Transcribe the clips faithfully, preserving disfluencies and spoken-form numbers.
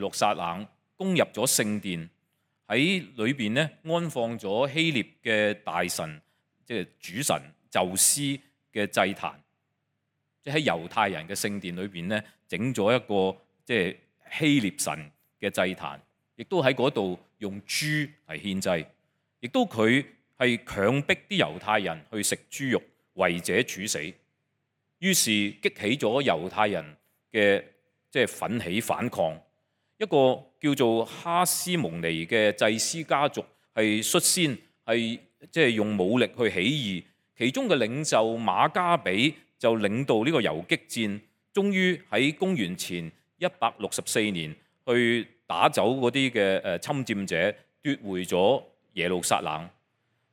路撒冷攻入咗聖殿，喺裏邊咧安放咗希臘嘅大神，即係主神宙斯嘅祭壇，即係喺猶太人嘅聖殿裏邊咧整咗一個即係希臘神嘅祭壇，亦都喺嗰度用豬嚟獻祭，亦都佢係強迫啲猶太人去食豬肉，為者處死。於是激起咗猶太人嘅即係奮起反抗。一個叫做哈斯蒙尼嘅祭司家族係率先係即係用武力去起義，其中嘅領袖馬加比就領導呢個游擊戰，終於喺公元前一百六十四年去打走嗰啲嘅誒侵佔者，奪回咗耶路撒冷。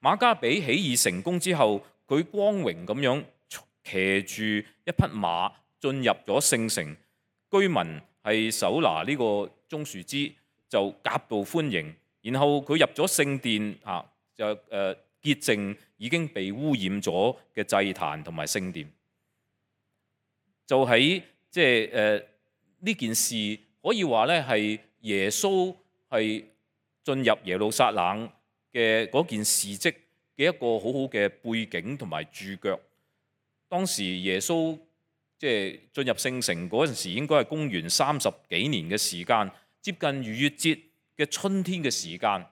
馬加比起義成功之後，佢光榮咁樣騎住一匹馬進入咗聖城，居民係手拿呢個棕樹枝就夾道歡迎，然後佢入咗聖殿啊，就誒潔淨已經被污染咗嘅祭壇同埋聖殿。就喺即係誒呢件事可以話咧係耶穌係進入耶路撒冷嘅嗰件事蹟嘅一個好好嘅背景同埋注腳。當時耶穌即係進入聖城嗰陣時，應該係公元三十幾年嘅時間，接近逾越節嘅春天嘅時間。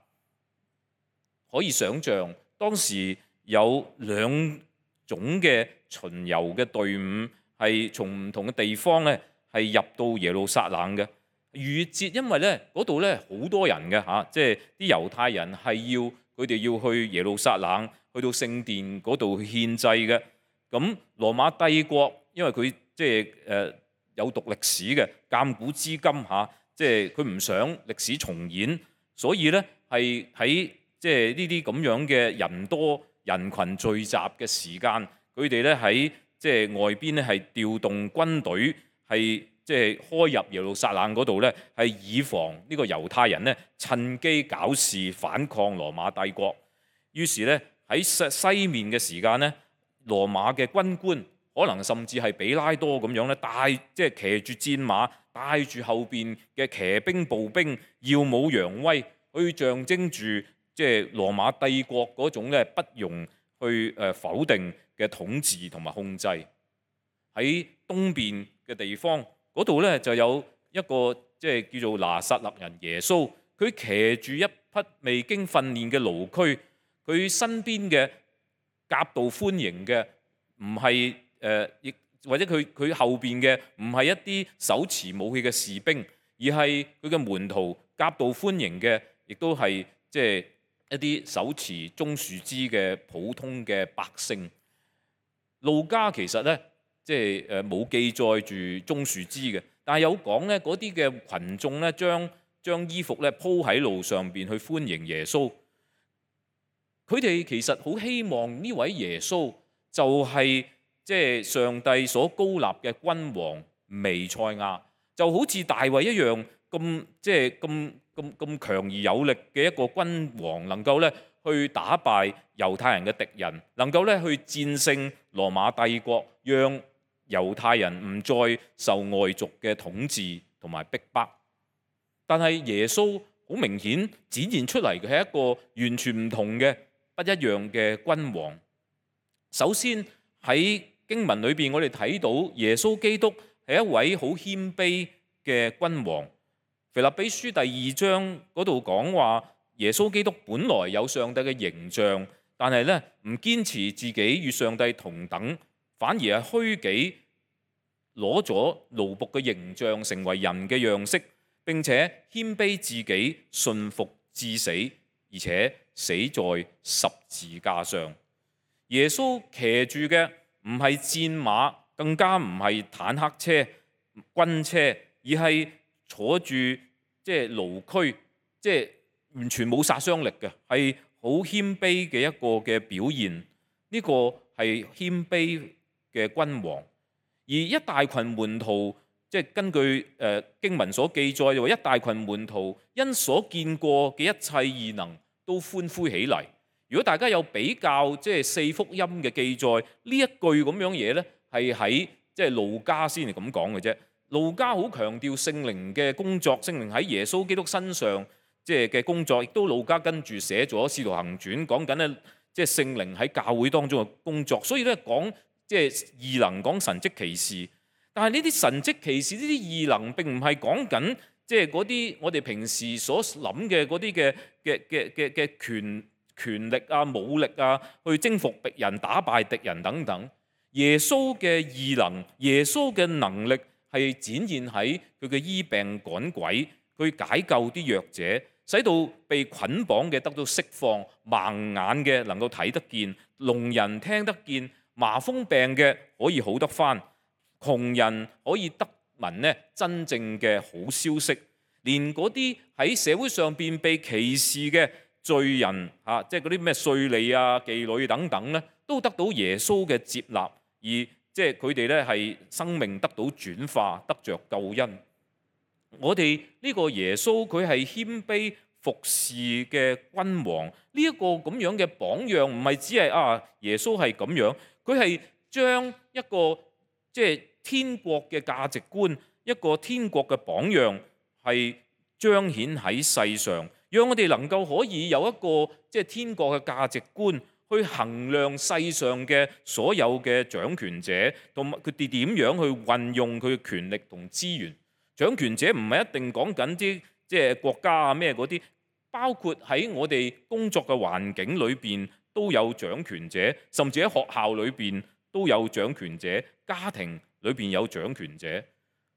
可以想像當時有兩種嘅巡遊嘅隊伍係從唔同嘅地方咧係入到耶路撒冷嘅。逾越節因為咧嗰度咧好多人嘅嚇，即係啲猶太人係要佢哋要去耶路撒冷，去到聖殿嗰度獻祭嘅。咁羅馬帝國因為佢即係誒有讀歷史嘅，鑑古知今嚇，即係佢唔想歷史重演，所以咧係喺即係呢啲咁樣嘅人多人群聚集嘅時間，佢哋咧喺即係外邊咧係調動軍隊，係即係開入耶路撒冷嗰度咧，係以防呢個猶太人咧趁機搞事反抗羅馬帝國。於是咧喺西西面嘅時間咧，羅馬嘅軍官可能甚至係比拉多咁樣咧，帶即係騎住戰馬，帶住後邊嘅騎兵步兵，耀武揚威，去象徵住即係羅馬帝國嗰種咧不容去誒否定嘅統治同埋控制。喺東邊嘅地方嗰度咧就有一個即係叫做拿撒勒人耶穌，佢騎住一匹未經訓練嘅驢駒，佢身邊嘅夾道歡迎嘅唔係誒，亦或者佢佢後邊嘅唔係一啲手持武器嘅士兵，而係佢嘅門徒夾道歡迎嘅，亦都係即係一啲手持棕樹枝嘅普通嘅百姓。路加其實咧即係誒冇記載住棕樹枝嘅，但係有講咧嗰啲嘅群眾咧將將衣服咧鋪喺路上邊去歡迎耶穌。佢哋其實好希望呢位耶穌就係即係上帝所高立嘅君王彌賽亞，就好似大衛一樣咁即係咁咁咁強而有力嘅一個君王，能夠咧去打敗猶太人嘅敵人，能夠咧去戰勝羅馬帝國，讓猶太人唔再受外族嘅統治同埋逼迫。但係耶穌好明顯展現出嚟嘅係一個完全唔同嘅不一樣嘅君王。首先喺經文裏邊，我哋睇到耶穌基督係一位好謙卑嘅君王。腓立比書第二章嗰度講話，耶穌基督本來有上帝嘅形象，但係咧唔堅持自己與上帝同等，反而係虛己，攞咗奴僕嘅形象，成為人嘅樣式，並且謙卑自己，順服至死，而且死在十字架上。耶穌騎住嘅唔係戰馬，更加唔係坦克車、軍車，而係坐住即係驢駒，即係完全冇殺傷力嘅，係好謙卑嘅一個嘅表現。呢個係謙卑嘅君王。而一大群門徒，即係根據誒經文所記載，話一大群門徒因所見過嘅一切異能都歡呼起嚟。如果大家有比較即係四福音嘅記載，呢一句咁樣嘢咧，係喺即係路加先係咁講嘅啫。路加好強調聖靈嘅工作，聖靈喺耶穌基督身上即係嘅工作，亦都路加跟住寫咗《使徒行傳》，講緊咧即係聖靈喺教會當中嘅工作。所以咧講即係異能，講神蹟奇事。但係呢啲神蹟奇事，呢啲異能並唔係講緊即係嗰啲我哋平時所諗嘅嗰啲嘅嘅嘅嘅嘅權權力啊、武力啊，去征服敵人、打敗敵人等等。耶穌嘅異能，耶穌嘅能力係展現喺佢嘅醫病趕鬼，佢解救啲弱者，使到被捆綁嘅得到釋放，盲眼嘅能夠睇得見，聾人聽得見，麻風病嘅可以好得返，窮人可以得聞咧真正嘅好消息，連嗰啲喺社會上邊被歧視嘅罪人嚇，即係嗰啲咩稅吏啊、妓女等等咧，都得到耶穌嘅接納，而即係佢哋咧係生命得到轉化，得着救恩。我哋呢個耶穌佢係謙卑服侍嘅君王，呢、這、一個咁樣嘅榜樣，唔係只係啊耶穌係咁樣，佢係將一個即係天國嘅價值觀，一個天國嘅榜樣係彰顯喺世上，讓我哋能夠可以有一個即係天國嘅價值觀去衡量世上嘅所有嘅掌權者，同埋佢哋點樣去運用佢嘅權力同資源。掌權者唔係一定講緊啲即係國家啊咩嗰啲，包括喺我哋工作嘅環境裏邊都有掌權者，甚至喺學校裏邊都有掌權者，家庭裏邊有掌權者。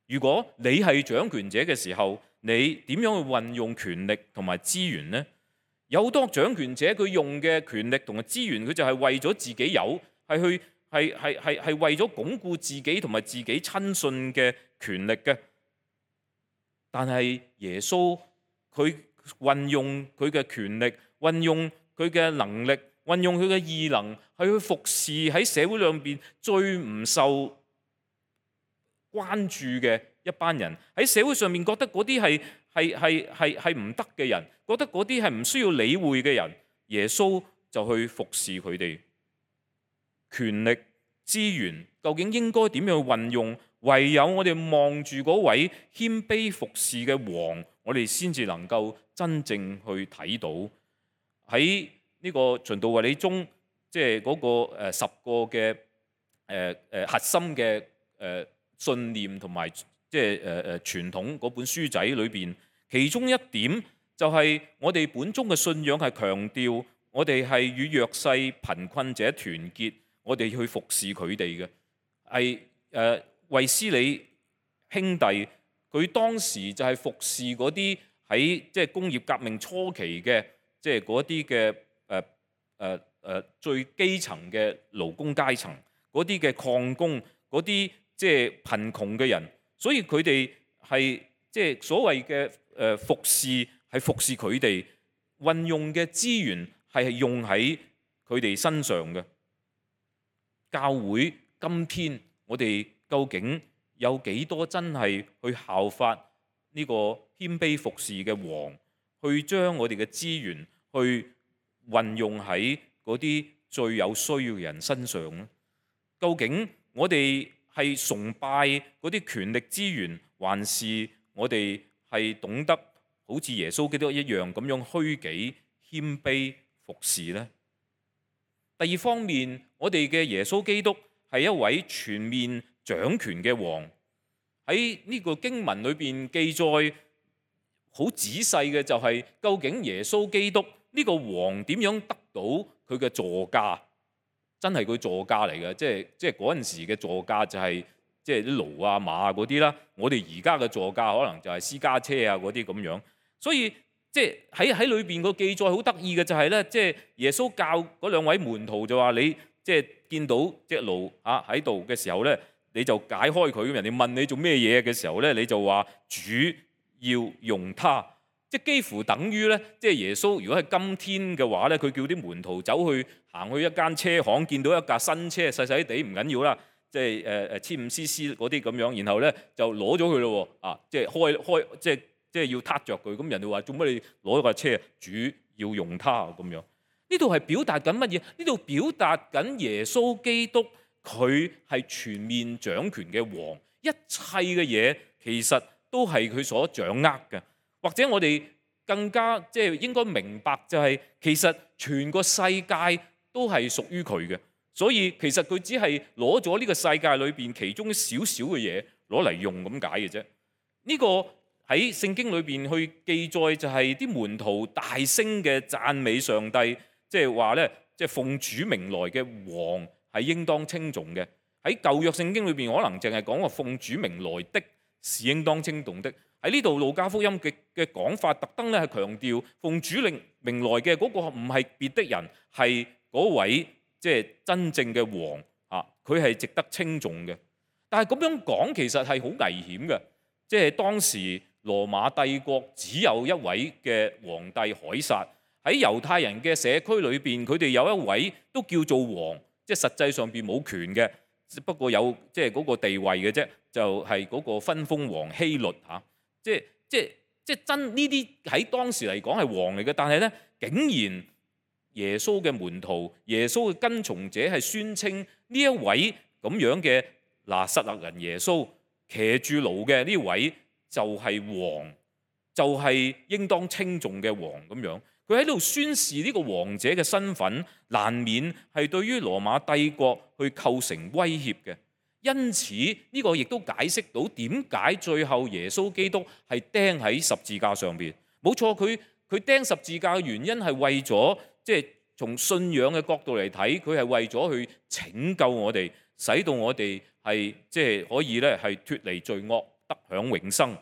如果你係掌權者嘅時候，你點樣去運用權力同埋資源呢？有好多掌權者佢用嘅權力同埋資源，佢就係為咗自己有，係去係係係係為咗鞏固自己同埋自己親信嘅權力嘅。但係耶穌佢運用佢嘅權力，運用佢嘅能力，運用佢嘅異能，係去服侍喺社會裏邊最唔受關注嘅一班人，喺社會上面覺得嗰啲係係係係係唔得嘅人，覺得嗰啲係唔需要理會嘅人，耶穌就去服侍佢哋。權力資源究竟應該點樣去運用？唯有我哋望住嗰位謙卑服侍嘅王，我哋先至能夠真正去睇到喺呢個循道衛理中，即係嗰個誒十個嘅誒誒核心嘅誒信念同埋即係誒誒傳統嗰本書仔裏邊，其中一點就係我哋本宗嘅信仰係強調我哋係與弱勢貧困者團結，我哋去服侍佢哋嘅係誒。衛斯理兄弟佢當時就係服侍嗰啲喺即係工業革命初期嘅即係嗰啲嘅誒誒誒最基層嘅勞工階層，嗰啲嘅礦工，嗰啲即係貧窮嘅人，所以佢哋係即係所謂嘅誒服侍係服侍佢哋，運用嘅資源係用喺佢哋身上嘅。教會今天我哋究竟有幾多真係去效法呢個謙卑服侍嘅王，去將我哋嘅資源去運用喺嗰啲最有需要嘅人身上呢？究竟我哋係崇拜嗰啲權力資源，還是我哋係懂得好似耶穌基督一樣咁樣虛己謙卑服侍呢？第二方面，我哋嘅耶穌基督係一位全面掌權嘅王，喺呢個經文裏邊記載好仔細嘅就係究竟耶穌基督呢個王點樣得到佢嘅座駕？真係佢座駕嚟嘅，即係即係嗰陣時嘅座駕就係即係啲驢啊馬啊嗰啲啦。我哋而家嘅座駕可能就係私家車啊嗰啲咁樣。所以即係喺喺裏邊個記載好得意嘅就係咧，即係耶穌教嗰兩位門徒就話你即係見到隻驢啊喺度嘅時候咧，你就解開佢。咁人哋問你做咩嘢嘅時候咧，你就話主要用它，即係幾乎等於咧，即係耶穌如果係今天嘅話咧，佢叫啲門徒走去行去一間車行，見到一架新車細細地唔緊要啦，即係誒誒千五 C C 嗰啲咁樣，然後咧就攞咗佢咯喎，啊即係開開即係即係要撻着佢。咁人哋話做乜你攞咗架車？主要用它咁樣。呢度係表達緊乜嘢？呢度表達緊耶穌基督佢係全面掌權嘅王，一切嘅嘢其實都係佢所掌握嘅。或者我哋更加即係應該明白就係，其實全個世界都係屬於佢嘅，所以其實佢只係攞咗呢個世界裏邊其中少少嘅嘢攞嚟用咁解嘅啫。呢個喺聖經裏邊去記載就係啲門徒大聲嘅讚美上帝，即係話咧，即係奉主名來嘅王係應當稱頌嘅。喺舊約聖經裏邊可能淨係講話奉主名來的是應當稱頌的。喺呢度路加福音嘅嘅講法，特登咧係強調奉主令名來嘅嗰個唔係別的人，係嗰位即係真正嘅王啊！佢係值得稱頌嘅。但係咁樣講其實係好危險嘅，即係當時羅馬帝國只有一位嘅皇帝凱撒，喺猶太人嘅社區裏邊，佢哋有一位都叫做王，即係實際上邊冇權嘅，不過有即係嗰個地位嘅啫，就係、是、嗰個分封王希律嚇。即係即係即係真呢啲喺當時嚟講係王嚟嘅，但係咧竟然耶穌嘅門徒、耶穌嘅跟從者係宣稱呢一位咁樣嘅拿撒勒人耶穌騎住驢嘅呢位就係王，就係、是、應當稱頌嘅王咁樣。佢喺度宣示呢個王者嘅身份，難免係對於羅馬帝國去構成威脅嘅。因此呢個亦都解釋到點解最後耶穌基督係釘喺十字架上邊。冇錯，佢佢釘十字架嘅原因係為咗，即係從信仰嘅角度嚟睇，佢係為咗去拯救我哋，使到我哋係即係可以咧係脫離罪惡，得享永生。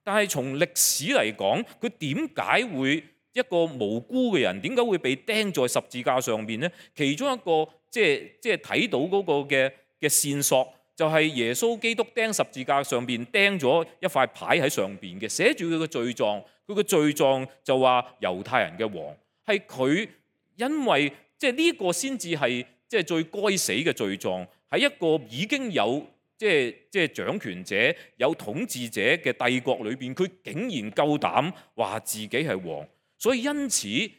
但係從歷史嚟講，佢點解會一個無辜嘅人點解會被釘在十字架上邊呢？其中一個即係即係睇到嗰個嘅嘅線索，就係耶穌基督釘十字架上邊釘咗一塊牌喺上邊嘅，寫住佢嘅罪狀。佢嘅罪狀就話猶太人嘅王，係佢因為即係呢個先至係即係最該死嘅罪狀，喺一個已經有即係即係掌權者、有統治者嘅帝國裏邊，佢竟然夠膽話自己係王。所以因此解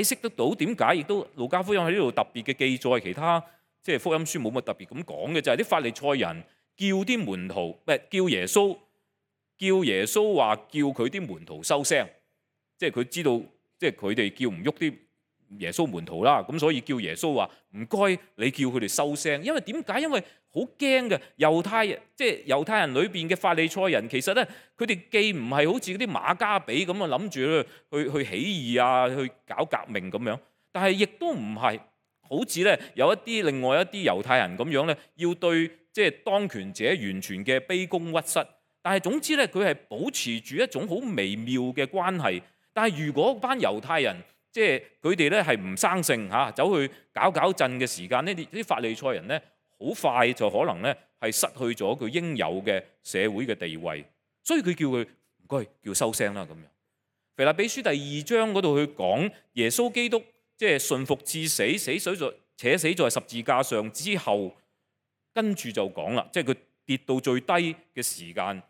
釋得到點解，亦都路加福音喺呢度特別嘅記載，其他即係福音書冇乜特別咁講嘅，就係啲法利賽人叫啲門徒，唔係叫耶穌，叫耶穌話叫佢啲門徒收聲，即係佢知道，即係佢哋叫唔喐啲耶穌門徒啦，咁所以叫耶穌話唔該，你叫佢哋收聲，因為點解？因為好驚嘅猶太人，即係猶太人裏邊嘅法利賽人，其實咧佢哋既唔係好似嗰啲馬加比咁啊，諗住咧去去起義啊，去搞革命咁樣，但係亦都唔係好似咧有一啲另外一啲猶太人咁樣咧，要對即係當權者完全嘅卑躬屈膝。但係總之咧，佢係保持住一種好微妙嘅關係。但係如果班猶太人即係佢哋咧係唔生性嚇，走去搞搞震嘅時間，呢啲啲法利賽人咧，好快就可能咧係失去咗佢應有嘅社會嘅地位，所以佢叫佢唔該叫收聲啦咁樣。腓立比書第二章嗰度去講耶穌基督即係順服至死，死死在且死在十字架上之後，跟住就講啦，即係佢跌到最低嘅時間，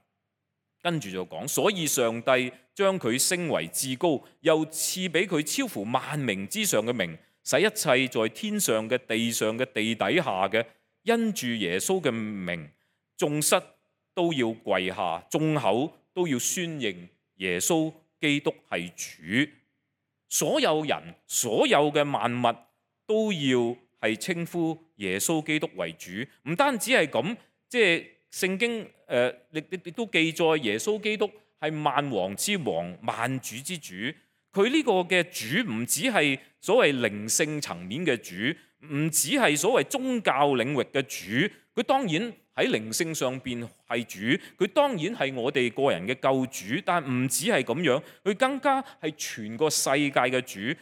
跟住就講，所以上帝將佢升為至高，又賜俾佢超乎萬名之上嘅名，使一切在天上嘅、地上嘅、地底下嘅，因住耶穌嘅名，眾膝都要跪下，眾口都要宣認耶穌基督係主。所有人、所有嘅萬物都要係稱呼耶穌基督為主。唔單止係咁，即係聖經誒，亦亦亦都記載耶穌基督係萬王之王、萬主之主。佢呢個嘅主唔只係所謂靈性層面嘅主，唔只係所謂宗教領域嘅主。佢當然喺靈性上邊係主，佢當然係我哋個人嘅救主。但唔止係咁樣，佢更加係全個世界嘅主。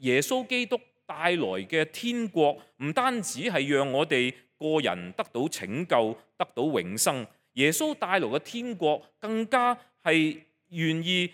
耶穌基督帶來嘅天國，唔單止係讓我哋個人得到拯救、得到永生。耶穌帶來嘅天國，更加係願意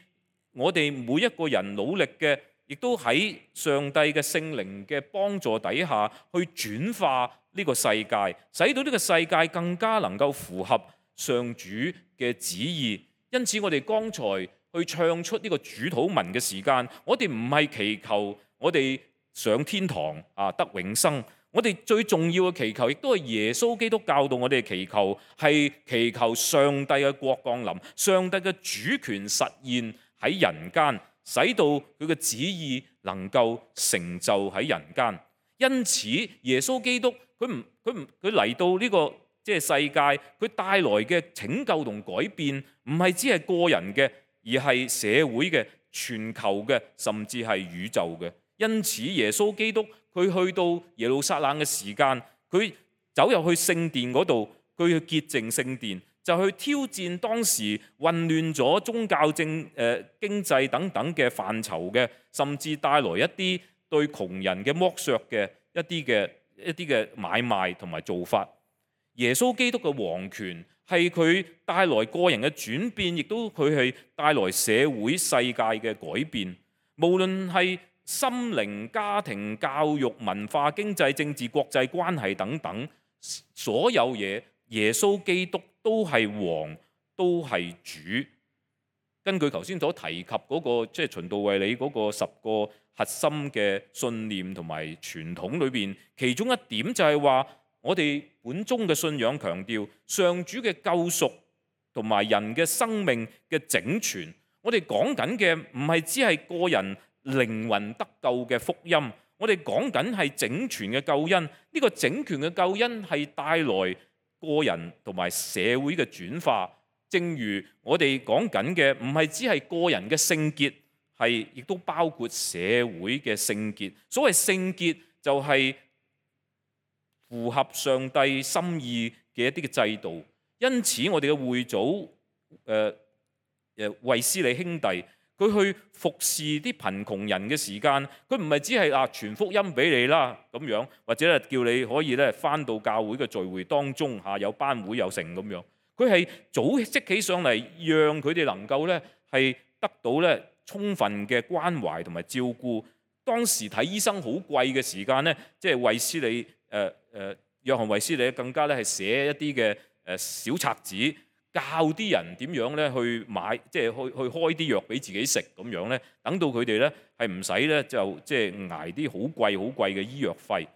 我哋每一個人努力嘅，亦都喺上帝嘅聖靈嘅幫助底下，去轉化呢個世界，使到呢個世界更加能夠符合上主嘅旨意。因此，我哋剛才去唱出呢個主禱文嘅時間，我哋唔係祈求我哋上天堂啊得永生，我哋最重要嘅祈求，亦都係耶穌基督教導我哋嘅祈求，係祈求上帝嘅國降臨，上帝嘅主權實現喺人間，使到佢嘅旨意能夠成就喺人間。因此，耶穌基督佢唔佢唔佢嚟到呢個即係世界，佢帶來嘅拯救同改變，唔係只係個人嘅，而係社會嘅、全球嘅，甚至係宇宙嘅。因此，耶穌基督佢去到耶路撒冷嘅時間，佢走入去聖殿嗰度，佢去潔淨聖殿，就去挑戰當時混亂咗宗教政、誒、呃、經濟等等嘅範疇嘅，甚至帶來一啲對窮人嘅剝削嘅一啲嘅一啲嘅買賣同埋做法。耶穌基督嘅王權係佢帶來個人嘅轉變，亦都佢係帶來社會世界嘅改變。無論係心靈、家庭、教育、文化、經濟、政治、國際關係等等，所有嘢，耶穌基督都係王，都係主。根據頭先所提及嗰、那個即係循道衛理嗰個十個核心嘅信念同埋傳統裏邊，其中一點就係話，我哋本宗嘅信仰強調上主嘅救贖同埋人嘅生命嘅整全。我哋講緊嘅唔係只係個人靈魂得救嘅福音，我哋講緊係整全嘅救恩。呢個整全嘅救恩係帶來個人同埋社會嘅轉化。正如我哋講緊嘅，唔係只係個人嘅聖潔，係亦都包括社會嘅聖潔。所謂聖潔就係符合上帝心意嘅一啲嘅制度。因此我哋嘅會祖誒誒衛斯理兄弟，佢去服侍啲貧窮人嘅時間，佢唔係只係啊傳福音俾你啦咁樣，或者咧叫你可以咧返到教會嘅聚會當中嚇有班會有成咁樣。佢係組織起上嚟，讓佢哋能夠咧係得到咧充分嘅關懷同埋照顧。當時睇醫生好貴嘅時間咧，即係衛斯理誒誒、呃呃、約翰衛斯理更加咧係寫一啲嘅誒小冊子，教啲人點樣咧去買，即係去去開啲藥俾自己食咁樣咧，等到佢哋咧係唔使咧就即係捱啲好貴好貴嘅醫藥費。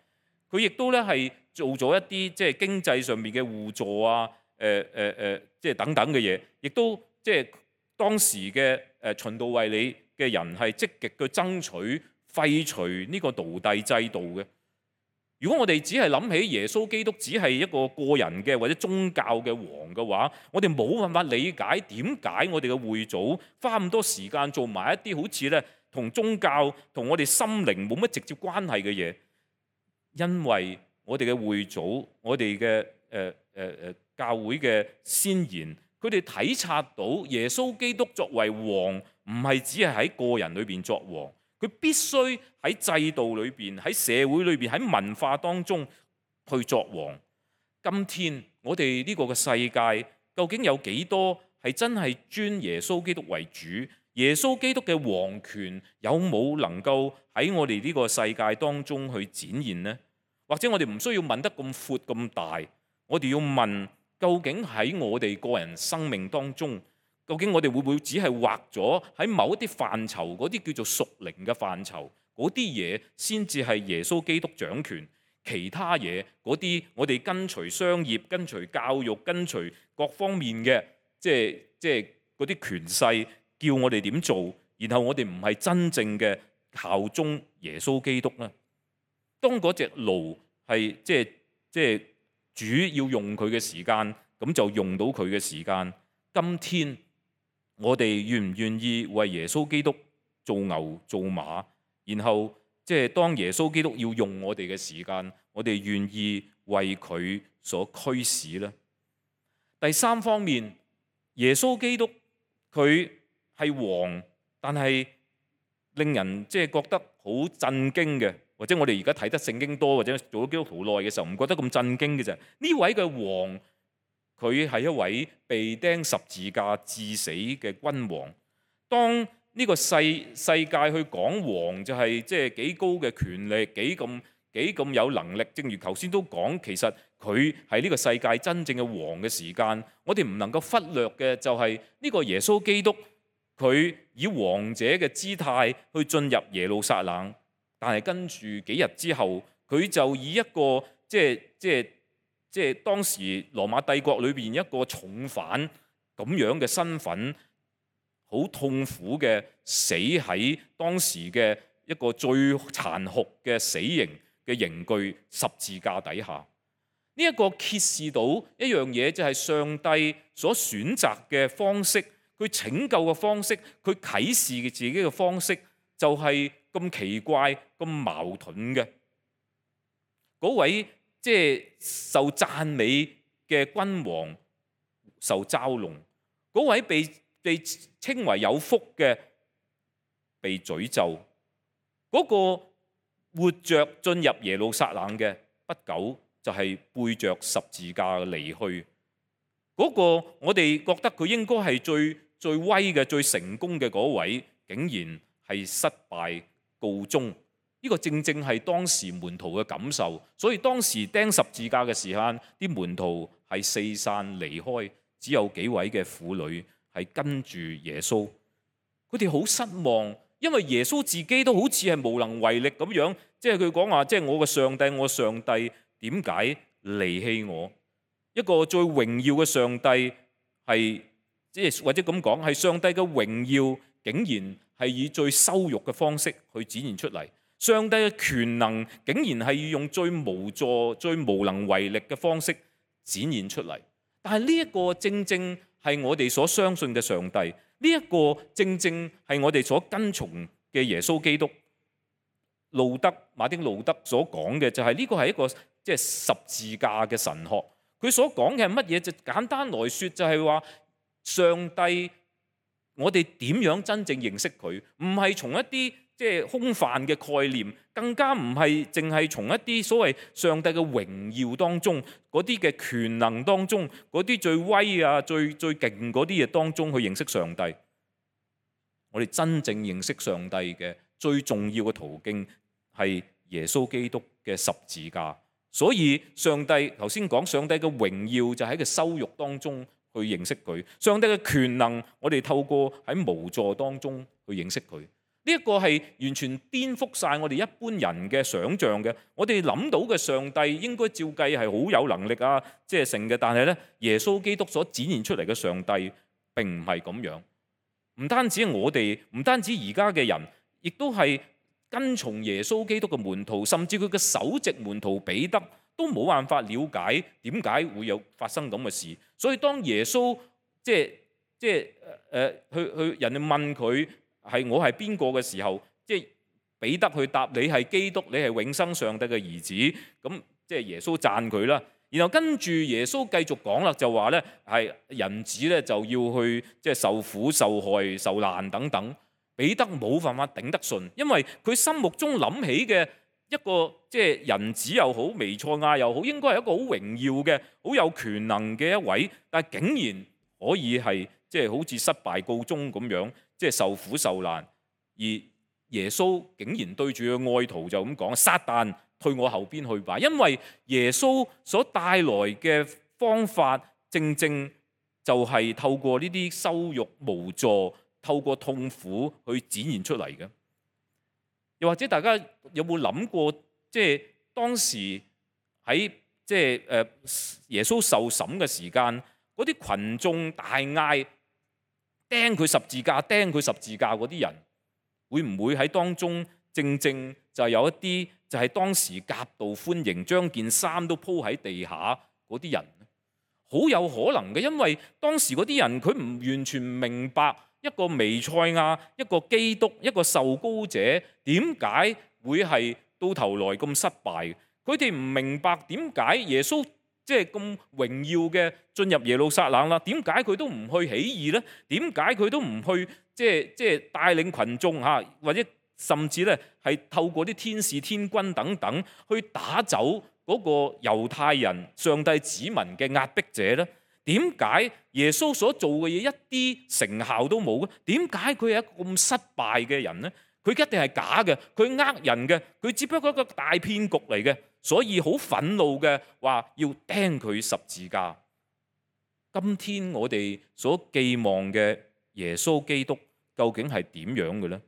佢亦都咧係做咗一啲即係經濟上面嘅互助啊。誒誒誒，即係等等嘅嘢，亦都即係當時嘅誒循道衛理嘅人係積極去爭取廢除呢個奴隸制度嘅。如果我哋只係諗起耶穌基督只係一個個人嘅或者宗教嘅王嘅話，我哋冇辦法理解點解我哋嘅會祖花咁多時間做埋一啲好似咧同宗教同我哋心靈冇乜直接關係嘅嘢。因為我哋嘅會祖，我哋嘅誒誒誒教會嘅先賢，佢哋體察到耶穌基督作為王，唔係只係喺個人裏邊作王，佢必須喺制度裏邊、喺社會裏邊、喺文化當中去作王。今天我哋呢個嘅世界，究竟有幾多係真係尊耶穌基督為主？耶穌基督嘅王權有冇能夠喺我哋呢個世界當中去展現呢？或者我哋唔需要問得咁闊咁大，我哋要問，究竟喺我哋個人生命當中，究竟我哋會唔會只係劃咗喺某一啲範疇，嗰啲叫做屬靈嘅範疇，嗰啲嘢先至係耶穌基督掌權，其他嘢嗰啲我哋跟隨商業、跟隨教育、跟隨各方面嘅，即係即係嗰啲權勢叫我哋點做，然後我哋唔係真正嘅效忠耶穌基督咧。當嗰隻驢係即係即係主要用佢嘅時間，咁就用到佢嘅時間。今天我哋願唔願意為耶穌基督做牛做馬？然後即係當耶穌基督要用我哋嘅時間，我哋願意為佢所驅使呢？第三方面，耶穌基督佢係王，但係令人即係覺得好震驚嘅。或者我哋而家睇得聖經多，或者做咗基督徒耐嘅時候，唔覺得咁震驚嘅啫。呢位嘅王，佢係一位被釘十字架致死嘅君王。當呢個世世界去講王，就係即係幾高嘅權力，幾咁幾咁有能力。正如頭先都講，其實佢係呢個世界真正嘅王嘅時間，我哋唔能夠忽略嘅就係呢個耶穌基督，佢以王者嘅姿態去進入耶路撒冷。但係跟住幾日之後，佢就以一個即係即係即係當時羅馬帝國裏邊一個重犯咁樣嘅身份，好痛苦嘅死喺當時嘅一個最殘酷嘅死刑嘅刑具十字架底下。呢一個揭示到一樣嘢，就係上帝所選擇嘅方式，佢拯救嘅方式，佢啟示嘅自己嘅方式，就係咁奇怪、咁矛盾嘅。嗰位即係受讚美嘅君王受嘲弄，嗰位被被稱為有福嘅被詛咒，嗰個活着進入耶路撒冷嘅不久就係背着十字架離去。嗰個我哋覺得佢應該係最最威嘅、最成功嘅嗰位，竟然係失敗告終。呢個正正係當時門徒嘅感受，所以當時釘十字架嘅時間，啲門徒係四散離開，只有幾位嘅婦女係跟住耶穌。佢哋好失望，因為耶穌自己都好似係無能為力咁樣，即係佢講話，即係我嘅上帝，我上帝點解離棄我？一個最榮耀嘅上帝係，即係或者咁講，係上帝嘅榮耀，竟然係以最羞辱嘅方式去展現出嚟。上帝嘅權能竟然係要用最無助、最無能為力嘅方式展現出嚟。但係呢一個正正係我哋所相信嘅上帝，呢一個正正係我哋所跟從嘅耶穌基督。路德馬丁路德所講嘅就係呢個係一個即係十字架嘅神學。佢所講嘅係乜嘢？就簡單來說就係話上帝，我哋點樣真正認識佢？唔係從一啲即係空泛嘅概念，更加唔係淨係從一啲所謂上帝嘅榮耀當中，嗰啲嘅權能當中，嗰啲最威啊、最最勁嗰啲嘢當中去認識上帝。我哋真正認識上帝嘅最重要嘅途徑係耶穌基督嘅十字架。所以上帝頭先講，上帝嘅榮耀就喺個羞辱當中去認識佢。上帝嘅權能，我哋透過喺無助當中去認識佢。呢一個係完全顛覆晒我哋一般人嘅想像嘅。我哋諗到嘅上帝應該照計係好有能力啊，即係成嘅。但係咧，耶穌基督所展現出嚟嘅上帝並唔係咁樣。唔單止我哋，唔單止而家嘅人，亦都係跟從耶穌基督嘅門徒，甚至佢嘅首席門徒彼得都冇辦法了解點解會有發生咁嘅事。所以當耶穌即係即係誒去去人哋問佢係我係邊個嘅時候，即係彼得去答你係基督，你係永生上帝嘅兒子。咁即係耶穌讚佢啦。然後跟住耶穌繼續講啦，就話咧係人子咧就要去即係受苦受害受難等等。彼得冇辦法頂得順，因為佢心目中諗起嘅一個即係人子又好，彌賽亞又好，應該係一個好榮耀嘅、好有權能嘅一位，但係竟然可以係即係好似失敗告終咁樣，即係受苦受難。而耶穌竟然對住個愛徒就咁講：撒旦，退我後邊去吧！因為耶穌所帶來嘅方法，正正就係透過呢啲羞辱無助，透過痛苦去展現出嚟嘅。又或者大家有冇諗過，即係當時喺即係誒耶穌受審嘅時間，嗰啲群眾大嗌釘佢十字架，釘佢十字架嗰啲人，會唔會喺當中正正就係有一啲就係當時夾道歡迎，將件衫都鋪喺地下嗰啲人？好有可能嘅，因為當時嗰啲人佢唔完全明白一個彌賽亞、一個基督、一個受膏者點解會係到頭來咁失敗。佢哋唔明白點解耶穌即係咁榮耀嘅進入耶路撒冷啦，點解佢都唔去起義呢？點解佢都唔去即係即係帶領群眾嚇，或者甚至咧係透過啲天使天軍等等去打走嗰個猶太人上帝子民嘅壓迫者呢？點解耶穌所做嘅嘢一啲成效都冇咧？點解佢係一個咁失敗嘅人呢？佢一定係假嘅，佢呃人嘅，佢只不過一個大騙局嚟嘅，所以好憤怒嘅話要釘佢十字架。今天我哋所寄望嘅耶穌基督究竟係點樣嘅呢？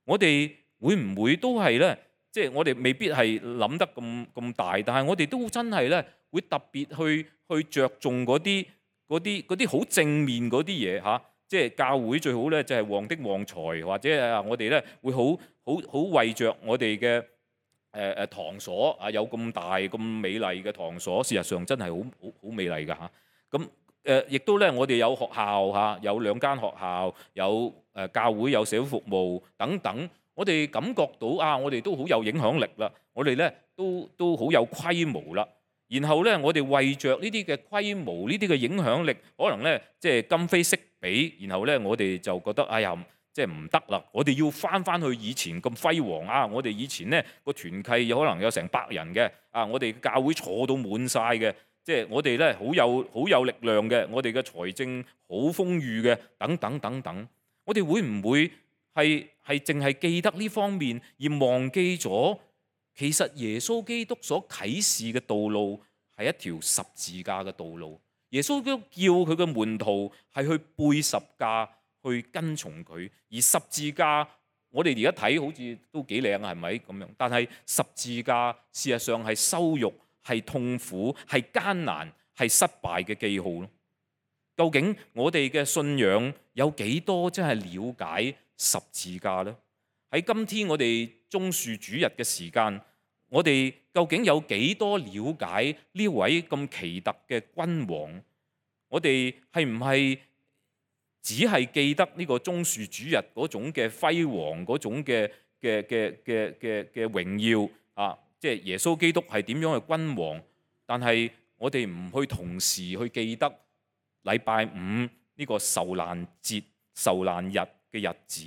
我哋會唔會都係咧即係我哋未必係諗得咁咁大，但係我哋都真係咧會特別去去著重嗰啲嗰啲嗰啲好正面嗰啲嘢嚇。即係教會最好咧就係旺的旺財，或者啊我哋咧會好好好為着我哋嘅誒誒堂所啊，有咁大咁美麗嘅堂所，事實上真係好好好美麗㗎嚇。咁誒亦都咧，我哋有學校嚇，有兩間學校，有誒教會，有社會服務等等。我哋感覺到啊，我哋都好有影響力啦，我哋咧都都好有規模啦。然後咧，我哋為着呢啲嘅規模、呢啲嘅影響力，可能咧即係今非昔比。然後咧，我哋就覺得哎呀，即係唔得啦！我哋要翻翻去以前咁輝煌啊！我哋以前咧個團契有可能有成百人嘅啊，我哋教會坐到滿晒嘅，即係我哋咧好有好有力量嘅，我哋嘅財政好豐裕嘅，等等等等。我哋會唔會係係淨係記得呢方面，而忘記咗其實耶穌基督所啟示嘅道路係一條十字架嘅道路？耶穌基督叫佢嘅門徒係去背十架，去跟從佢。而十字架，我哋而家睇好似都幾靚啊，係咪咁樣？但係十字架事實上係羞辱、係痛苦、係艱難、係失敗嘅記號咯。究竟我哋嘅信仰有幾多真係了解十字架呢？喺今天我哋棕樹主日嘅時間，我哋究竟有幾多了解呢位咁奇特嘅君王？我哋係唔係只係記得呢個棕樹主日嗰種嘅輝煌、嗰種嘅嘅嘅嘅嘅嘅榮耀啊？即係耶穌基督係點樣嘅君王？但係我哋唔去同時去記得禮拜五呢個受難節、受難日嘅日子。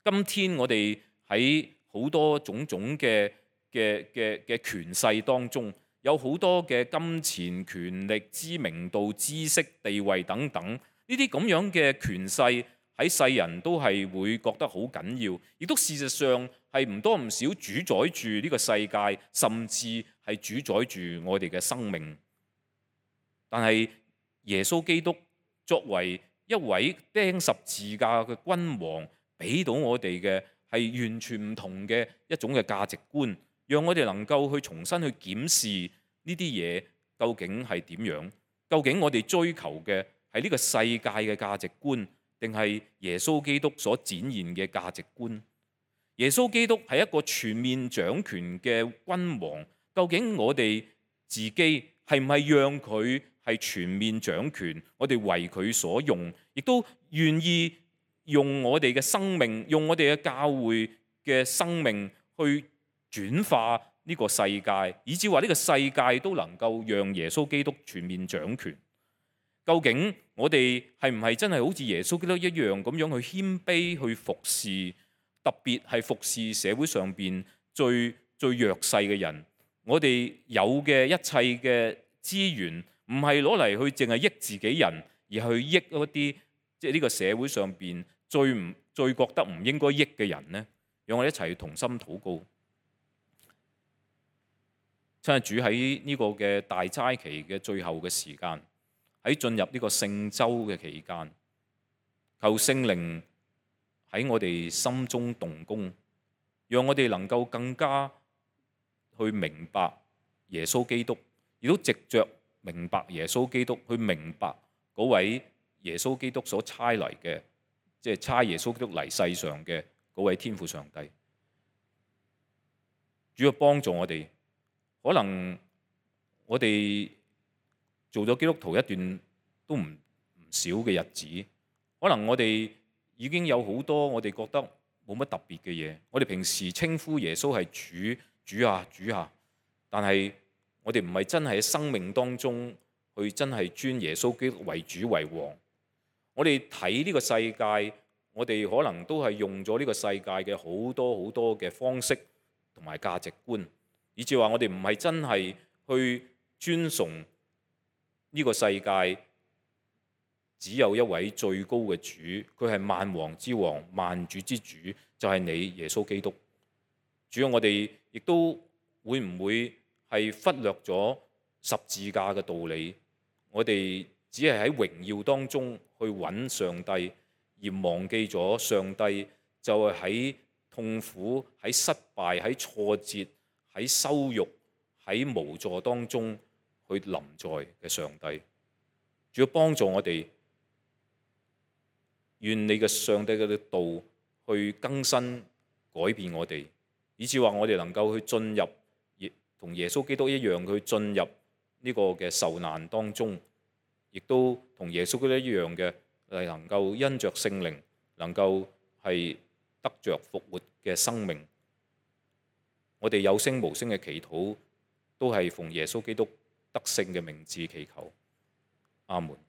今天我哋喺好多種種嘅嘅嘅嘅權勢當中，有好多嘅金錢、權力、知名度、知識、地位等等，呢啲咁樣嘅權勢喺世人都係會覺得好緊要，亦都事實上係唔多唔少主宰住呢個世界，甚至係主宰住我哋嘅生命。但係耶穌基督作為一位釘十字架嘅君王，俾到我哋嘅係完全唔同嘅一種嘅價值觀，讓我哋能夠去重新去檢視呢啲嘢究竟係點樣？究竟我哋追求嘅係呢個世界嘅價值觀，定係耶穌基督所展現嘅價值觀？耶穌基督係一個全面掌權嘅君王，究竟我哋自己係唔係讓佢係全面掌權？我哋為佢所用，亦都願意用我哋嘅生命，用我哋嘅教會嘅生命去轉化呢個世界，以至話呢個世界都能夠讓耶穌基督全面掌權。究竟我哋係唔係真係好似耶穌基督一樣咁樣去謙卑去服侍，特別係服侍社會上邊最最弱勢嘅人？我哋有嘅一切嘅資源，唔係攞嚟去淨係益自己人，而去益嗰啲即係呢個社會上邊最唔最覺得唔應該益嘅人呢？讓我哋一齊同心禱告。親愛主，喺呢個嘅大齋期嘅最後嘅時間，喺進入呢個聖週嘅期間，求聖靈喺我哋心中動工，讓我哋能夠更加去明白耶穌基督，亦都藉着明白耶穌基督去明白嗰位耶穌基督所差嚟嘅，即係差耶穌基督嚟世上嘅嗰位天父上帝。主要幫助我哋，可能我哋做咗基督徒一段都唔唔少嘅日子，可能我哋已經有好多我哋覺得冇乜特別嘅嘢。我哋平時稱呼耶穌係主，主啊主啊，但係我哋唔係真係喺生命當中去真係尊耶穌基督為主為王。我哋睇呢個世界，我哋可能都係用咗呢個世界嘅好多好多嘅方式同埋價值觀，以至話我哋唔係真係去尊崇呢個世界只有一位最高嘅主，佢係萬王之王、萬主之主，就係你耶穌基督。主要我哋亦都會唔會係忽略咗十字架嘅道理？我哋只係喺榮耀當中去揾上帝，而忘記咗上帝就係喺痛苦、喺失敗、喺挫折、喺羞辱、喺無助當中去臨在嘅上帝。主要幫助我哋，願你嘅上帝嘅道去更新改變我哋，以至話我哋能夠去進入同耶穌基督一樣去進入呢個嘅受難當中，亦都同耶穌基督一樣嘅係能夠因着聖靈能夠係得着復活嘅生命。我哋有聲無聲嘅祈禱，都係奉耶穌基督得勝嘅名字祈求。阿門。